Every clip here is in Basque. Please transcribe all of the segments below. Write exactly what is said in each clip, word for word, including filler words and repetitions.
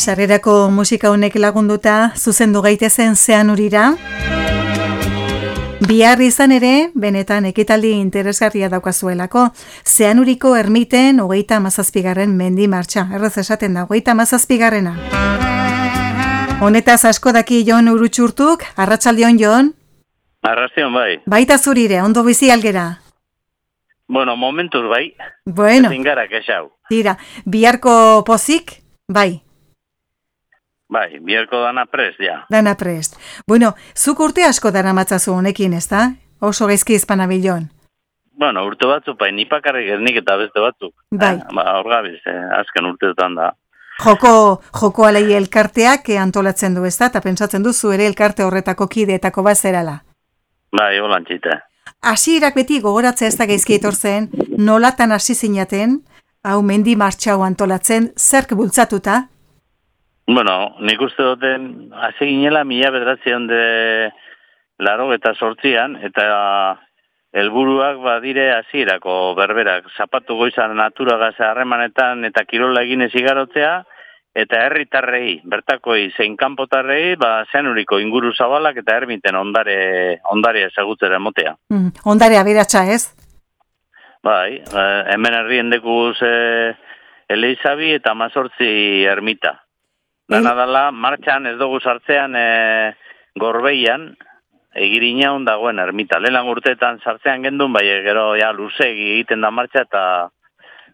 Sarrerako musika honek lagunduta zuzendu gaitezen Zeanurira. Bihar izan ere, benetan ekitaldi interesgarria daukazuelako. Zeanuriko ermiten hogeita hamazazpigarren mendi martxa. Erraz esaten da, hogeita hamazazpigarrena. Honetaz asko daki Jon Urutxurtuk, arratsaldeon Jon. Arratsaldeon bai. Baita zurire, ondo bizi algera. Bueno, momentuz bai. Bueno. Ezin gara kexau. Tira, biharko pozik, bai. Bai, biharko dana prest, ja. Dana prest. Bueno, zuk urte asko dara matzazu honekin, ez da? Oso gaizki izpanabilon. Bueno, urte batzuk, bai, nipakarrik ernik eta beste batzuk. Bai. Eh, ba, hor gabiz, eh, azken urteetan da. Joko, joko alei elkarteak antolatzen du, ez da? Eta pentsatzen duzu ere elkarte horretako kideetako bazerala. Bai, holan txita. Hasierak beti gogoratzea ez da gaizki etortzen, nolatan hasi zinaten, hau mendi martxau antolatzen, zerk bultzatuta? Bueno, nik uste duten, hasi ginela mila bederatzion de laro eta sortzian, eta helburuak badire hasierako berberak, zapatu goizan naturagaz harremanetan eta kirola eginez igarotzea, eta herritarrei, bertakoi zein kanpotarrei, ba, Zeanuriko inguru zabalak eta ermiten ondare, ondare ezagutzera emotea. Mm, ondare aberatsa ez? Bai, eh, hemen herrien dekuz eh, Eleizabi eta Mazortzi ermita. Dana dala, martxan ez dugu sartzean e, Gorbeian, egirina dagoen ermita. Lehenan urteetan sartzean gendun, bai gero ja luzegi egiten da martxa eta,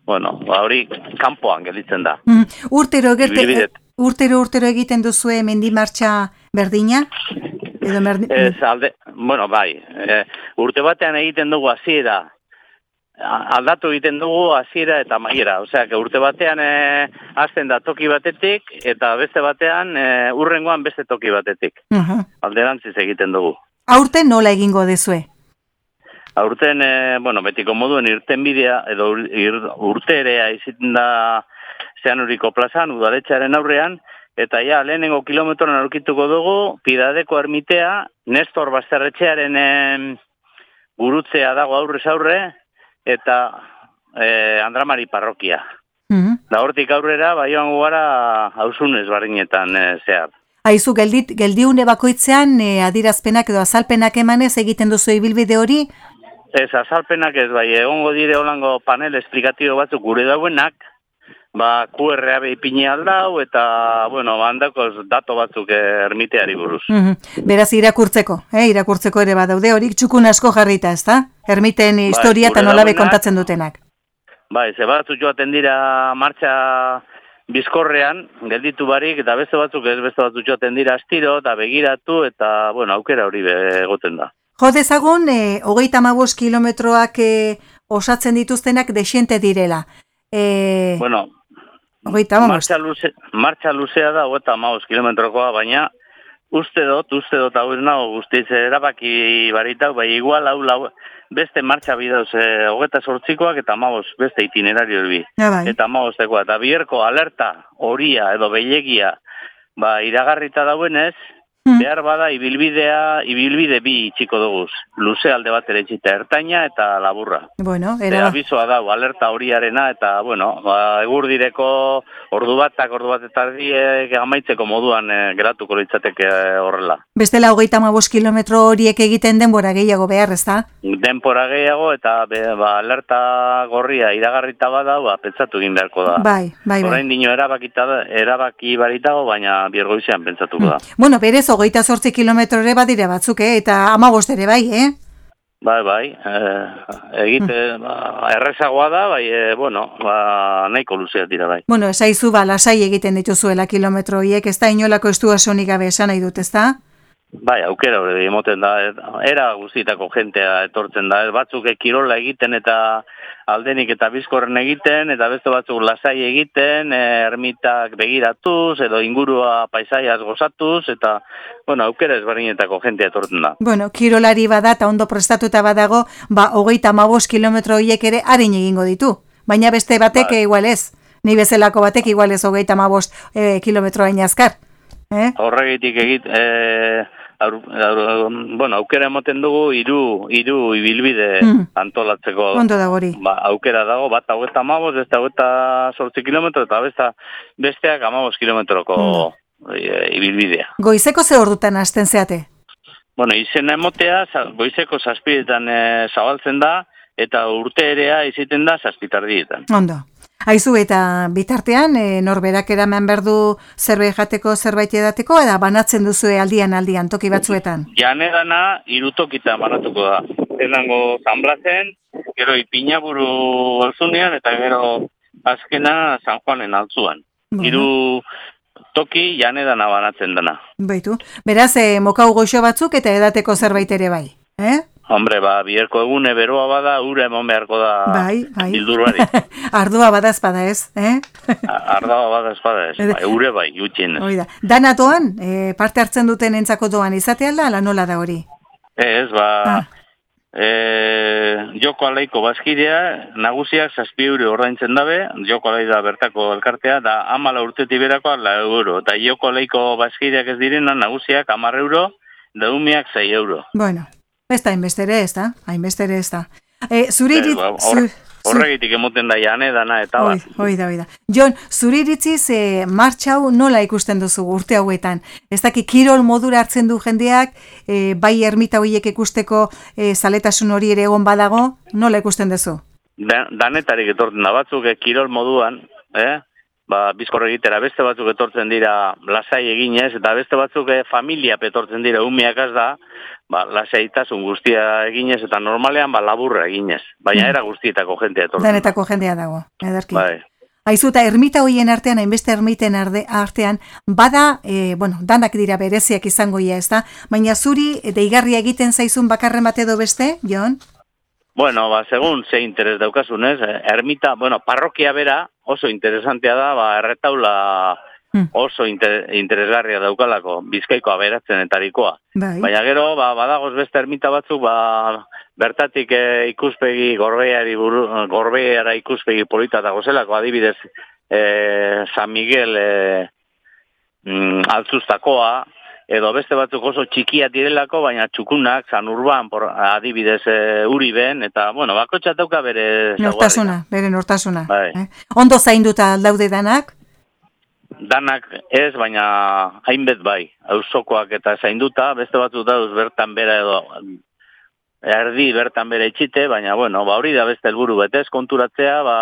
bueno, hori kanpoan gelditzen da. Mm, urtero, gerte, urtero, urtero egiten duzue mendi martxa berdina? Edo merdi... Ez, alde, bueno, bai, e, urte batean egiten dugu hasiera. Aldatu egiten dugu hasiera eta amaiera, osea, urte batean e, hasten da toki batetik eta beste batean e, urrengoan beste toki batetik. Uh-huh. Alderantziz egiten dugu. Aurten nola egingo dezue? Aurten, e, bueno, betiko moduen irtenbidea edo ir, urterea iziten da Zeanuriko plazan, udaletxearen aurrean, eta ja, lehenengo kilometron aurkituko dugu, Pidadeko ermitea, Nestor Basterretxearen e, gurutzea dago aurrez aurre, eta eh, Andramari parrokia. Mm-hmm. Da hortik aurrera, bai joango gara hausunez barinetan e, zehar. Aizu, geldit, geldiune bakoitzean e, adirazpenak edo azalpenak emanez egiten duzu ibilbide hori? Ez, azalpenak ez, bai, egongo dire holango panel esplikatibo batzuk gure dauenak, ba, Q R A ipini aldau, eta, bueno, handakoz dato batzuk ermiteari buruz. Mm-hmm. Beraz, irakurtzeko, eh? irakurtzeko ere badaude, horik txukun asko jarrita, ez da? Ermiten historia eta nolabe kontatzen dutenak. Bai, ze batzuk joaten dira martxa bizkorrean, gelditu barik, eta beste batzuk ez beste batzuk joaten dira astiro, eta begiratu, eta, bueno, aukera hori egoten da. Jo dezagun, eh, hogeita hamabost kilometroak eh, osatzen dituztenak desiente direla. Eh, bueno, Ogeita, martxa, luze, martxa luzea da, hogeita hamabost kilometrokoa, baina uste dut, uste dut hau nago guztiz erabaki baritau, bai igual hau lau, beste martxa bidauz, hogeita sortzikoak eta hamabost beste itinerario bi. Ja, bai. Eta hamabostekoa, eta bierko alerta horia edo behilegia ba, iragarrita dauenez, hmm. behar bada ibilbidea, ibilbide bi itxiko duguz. Luze alde bat ere itxita, ertaina eta laburra. Bueno, era... abizoa dau, alerta horiarena, eta, bueno, ba, egur direko ordu batak, ordu bat eta erdiek amaitzeko moduan e, geratuko litzateke horrela. Bestela hogeita hamabost kilometro horiek egiten denbora gehiago behar, ez da? Denbora gehiago, eta be, ba, alerta gorria iragarrita bada, ba, pentsatu egin beharko da. Bai, bai, bai. Orain dino erabakita, erabaki baritago, baina biergoizean pentsatuko da. Mm. Bueno, berez, hogeita zortzi kilometro ere badire batzuk, eh? Eta hamabost ere bai, eh? Bai, bai, eh, egite, mm. ba, errezagoa da, bai, e, bueno, ba, nahiko luzeat dira, bai. Bueno, esaizu, ba, lasai egiten dituzuela kilometro hiek, ez da inolako estuasonik gabe esan nahi dut, ez da? Bai, aukera hori emoten da, era guztitako jentea etortzen da, batzuk kirola egiten eta aldenik eta bizkorren egiten, eta beste batzuk lasai egiten, ermitak begiratuz, edo ingurua paisaiaz gozatuz, eta, bueno, aukera ezberdinetako jentea etortzen da. Bueno, kirolari bada eta ondo prestatuta badago, ba, hogeita hamabost kilometro hiek ere harin egingo ditu, baina beste batek bai. Igual ez, ni bezalako batek igual ez hogeita hamabost eh, kilometro hain azkar. Eh? Horregitik egit, e, aur, aur, bueno, aukera emoten dugu hiru hiru ibilbide mm. antolatzeko. Ondo da hori. Ba, aukera dago, bat hogeita hamabost, beste hogeita zortzi kilometro, eta besta, besteak hamabost kilometroko e, ibilbidea. Goizeko ze ordutan hasten zeate? Bueno, izena emotea, goizeko zazpiretan e, zabaltzen da, eta urte erea iziten da zazpitardietan. Ondo. Aizu eta bitartean, e, norberak eraman berdu zerbait jateko, zerbait edateko, eta banatzen duzue aldian aldian, toki batzuetan? Janedana irutokita banatuko da. Zenango Zanblazen, gero Ipinaburu alzunean, eta gero azkena San Juanen altzuan. Bueno. Hiru toki janedana banatzen dena. Baitu. Beraz, e, mokau goxo batzuk eta edateko zerbait ere bai, eh? Hombre, ba, bierko egune beroa bada, ura emon beharko da bai, bai. bilduruari. Ardua bada espada ez, eh? Ardua bada espada ez, bai, ure bai, utxin ez. Oida. Dana doan, e, parte hartzen duten entzako doan izate alda, ala nola da hori? Ez, ba, ah. e, joko alaiko bazkidea, nagusiak zazpi euro ordaintzen dabe, joko alai da bertako elkartea, da amala urteti berako ala euro, eta joko alaiko bazkideak ez direna, nagusiak amar euro, da umiak zei euro. Bueno. Ez da, hainbestere ez da, hainbestere ez da. E, zure iritz... Ba, or, horregitik emoten da jane dana eta bat. Hoi da, hoi da. Jon, zure iritziz e, martxau nola ikusten duzu urte hauetan? Ez daki kirol modura hartzen du jendeak, e, bai ermita horiek ikusteko e, zaletasun hori ere egon badago, nola ikusten duzu? Da, danetarik etorten da batzuk, e, kirol moduan, eh? Ba, bizkorre egitera, beste batzuk etortzen dira lasai eginez, eta beste batzuk e, familia etortzen dira umiakaz da, ba, lasaitasun guztia eginez, eta normalean ba, laburra eginez. Baina era guztietako jendea etortzen. Danetako jendea dago, ederki. Bai. Aizu, eta ermita hoien artean, hainbeste ermiten artean, bada, e, bueno, danak dira bereziak izango ia, ez da? Baina zuri, deigarria egiten zaizun bakarren bat edo beste, Jon? Bueno, ba, segun ze interes daukasunez, ermita, bueno, parrokia bera oso interesantea da, ba, erretaula oso inter, interesgarria daukalako, Bizkaiko aberatzenetarikoa. Bai. Baina gero, ba, badagoz beste ermita batzuk, ba, bertatik e, ikuspegi, gorbeiari buru, gorbeiara ikuspegi polita dago zelako, adibidez, e, San Miguel e, mm, altzustakoa, edo beste batzuk oso txikia direlako, baina txukunak, San Urban, por, adibidez e, Uriben, eta, bueno, bakotxa dauka bere... Nortasuna, bere nortasuna. Bai. Eh? Ondo zainduta daude danak? Danak ez, baina hainbet bai, auzokoak eta zainduta, beste batzuk dauz bertan bera edo erdi bertan bere itxite, baina, bueno, ba hori da beste helburu betez, konturatzea, ba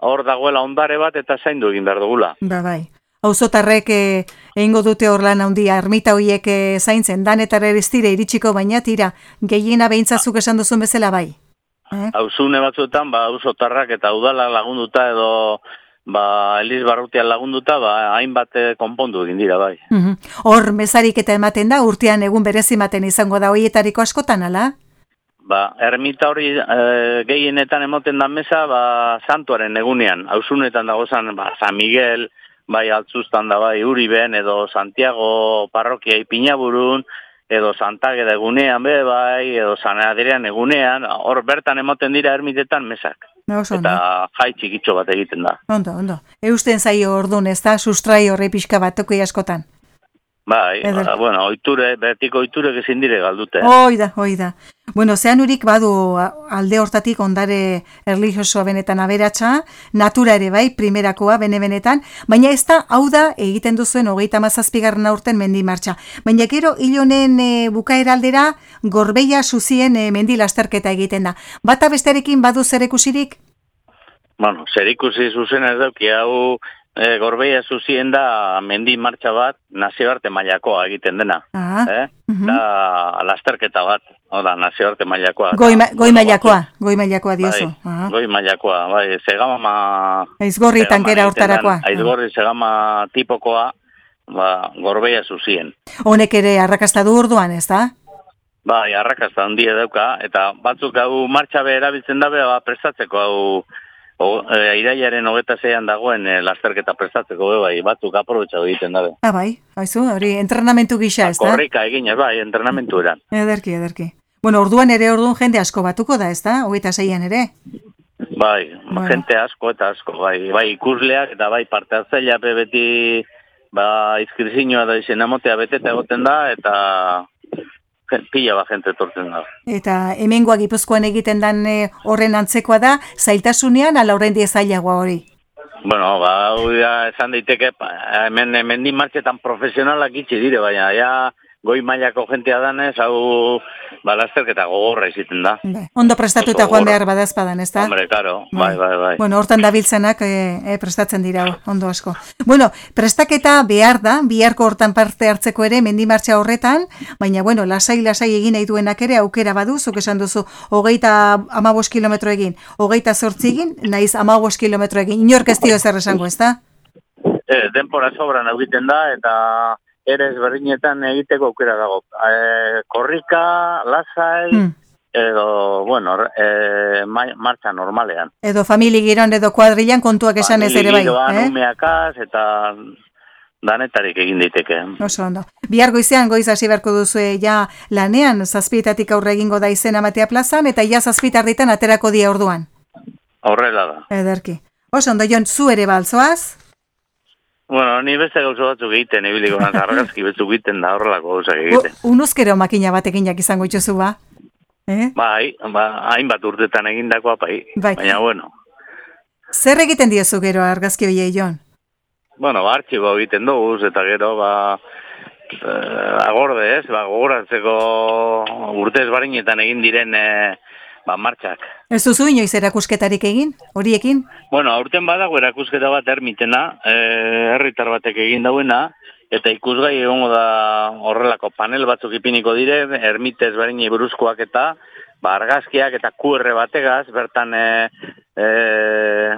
hor dagoela ondare bat eta zaindu egin behar dugula. Ba bai. Auzotarrek eh, egingo dute hor lan handia, ermita horiek eh, zaintzen, danetara ez dira iritsiko, baina tira, gehiena behintzazuk esan duzun bezala bai. Eh? Auzune batzuetan, ba, auzotarrak eta udala lagunduta edo ba, Eliz Barrutian lagunduta, ba, hainbat konpondu egin dira, bai. Hor, uh-huh. mesarik eta ematen da, urtean egun berezimaten izango da hoietariko askotan, ala? Ba, ermita hori e, gehienetan emoten da mesa, ba, santuaren egunean, auzunetan dagozan, ba, San Miguel, bai altzuztan da, bai Uriben, edo Santiago parrokia Ipinaburun, edo Santageda egunean, be, bai, edo San Adrian egunean, hor bertan emoten dira ermitetan mesak. No, eta jai txikitxo bat egiten da. Ondo, ondo. Eusten zaio orduan, ez da, sustrai horre pixka bat toko askotan. Bai, ba, bueno, oiture, betiko oiture gezin dire galdute. Oida, oida. Bueno, Zeanurik badu alde hortatik ondare erlijiosoa benetan aberatsa, natura ere bai, primerakoa bene-benetan, baina ez da, hau da, egiten duzuen hogeita hamazazpigarren aurten mendi martxa. Baina gero, hilonen e, bukaera aldera, Gorbeia Zuzien e, mendi lasterketa egiten da. Bata besterekin badu zerikusirik? Bueno, zerikusi zuzen ez dauki, hau... E, Gorbeia Zuzien da mendi martxa bat nazioarte mailakoa egiten dena. Ah, eh? uh-huh. Da lasterketa bat, oda, nazioarte mailakoa. Goi, ma, goi mailakoa, goi mailakoa diozu. Bai, uh-huh. Goi mailakoa, bai, segama... Aizgorri tankera hortarakoa. Aizgorri segama tipokoa, ba, Gorbeia Zuzien. Honek ere arrakasta du orduan, ez da? Bai, arrakasta handia dauka, eta batzuk hau martxa be erabiltzen dabe, ba, prestatzeko hau... O, e, iraiaren hogeta zeian dagoen e, lasterketa prestatzeko be, bai, batzuk aprobetxatu egiten dabe. Ah, bai, haizu, hori entrenamentu gisa, ez da? Korrika egin, bai, entrenamentu eran. Ederki, ederki. Bueno, orduan ere orduan jende asko batuko da, ez da? Hogeta zeian ere? Bai, bueno. Jente asko eta asko, bai, bai ikusleak eta bai parte hartzailea beti ba, izkrizinua da izen amotea beteta egoten da, eta pila ba jente torten da. Eta hemengoa Gipuzkoan egiten dan e, horren antzekoa da, zailtasunean ala horren die zailagoa hori? Bueno, ba, hau da, esan daiteke, hemen, hemen di martxetan profesionalak itxi dire, baina, ja, goi mailako jentea danez, hau, ba, lasterketa gogorra iziten da. Be, ondo prestatuta joan behar badazpadan, ez da? Hombre, karo, bai, bai, bai. Bueno, hortan dabiltzenak e, e, prestatzen dira, ondo asko. Bueno, prestaketa behar da, biharko hortan parte hartzeko ere, mendimartxa horretan, baina, bueno, lasai-lasai egin nahi duenak ere, aukera badu, zuk esan duzu, hogeita amabos kilometro egin, hogeita zortzi egin, naiz amabos kilometro egin, inork ez dio ezer esango, ez da? E, denpora sobran egiten da, eta ere ezberdinetan egiteko aukera dago. E, korrika, lasai, hmm. edo, bueno, e, ma, martxa normalean. Edo famili giron, edo kuadrilan kontuak esan ez ere bai. Famili giroan, eh? Umeakaz, eta danetarik egin daiteke. Oso ondo. Bihar goizean goiz hasi beharko duzue ja lanean, zazpietatik aurre egingo da izena matea plazan, eta ja zazpitarditan aterako dia orduan. Horrela da. Ederki. Oso ondo, Jon, zu ere balzoaz? Bueno, ni beste gauza batzuk egiten, ibiliko naz, argazki batzuk egiten da horrelako gauzak egiten. Unuzkero makina batekin jak izango itxozu ba? Eh? Bai, ba, hainbat urtetan egindakoa bai, bai. Baina bueno. Zer egiten diozu gero argazki hoiei, Jon? Bueno, ba, artxibo egiten dugu, eta gero, ba, eh, agorde ez, ba, gogoratzeko urte ezbarinetan egin diren, eh, ba, martxak. Ez duzu inoiz erakusketarik egin, horiekin? Bueno, aurten badago erakusketa bat ermitena, herritar batek egin dauena, eta ikusgai egongo da horrelako panel batzuk ipiniko dire, ermite ezberdinei buruzkoak eta ba, argazkiak eta Q R bategaz, bertan e, e,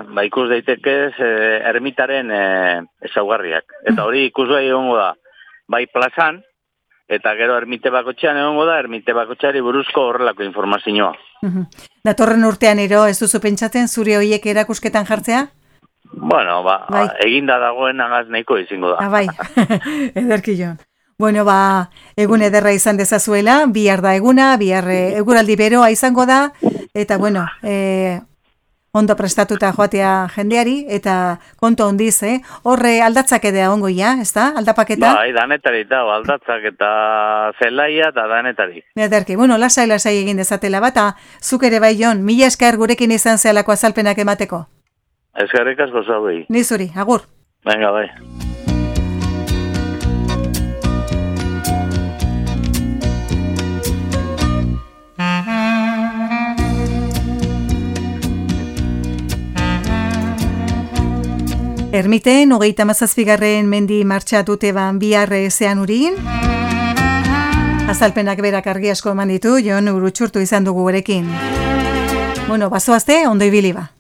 ba, ikus daitekez e, ermitaren e, ezaugarriak. Eta hori ikusgai egongo da, bai plazan, eta gero ermite bakotxean egongo da, ermite bakotxeari buruzko horrelako informazioa. Datorren urtean ero, ez duzu pentsatzen zure hoiek erakusketan jartzea? Bueno, ba, bai. Eginda dagoen agaz nahiko izingo da. Ah, bai, ederki Jon. Bueno, ba, egun ederra izan dezazuela, bihar da eguna, bihar eguraldi beroa izango da, eta bueno, e, ondo prestatuta joatea jendeari, eta konto ondiz, eh? Horre aldatzak edea ongo ja, ez da? Aldapaketa? Bai, danetari eta aldatzak eta zelaia eta danetari. Ederki, bueno, lasai-lasai egin dezatela bata, zuk ere bai Jon, mila esker gurekin izan zehalako azalpenak emateko. Eskerrik asko zauei. Ni zuri, agur. Venga, bai. Ermiten, hogeita mazazpigarren mendi martxa dute ban bihar zean urin. Azalpenak berak argi asko eman ditu, Jon Urutxurtu izan dugu gurekin. Bueno, bazoazte, ondo ibili ba.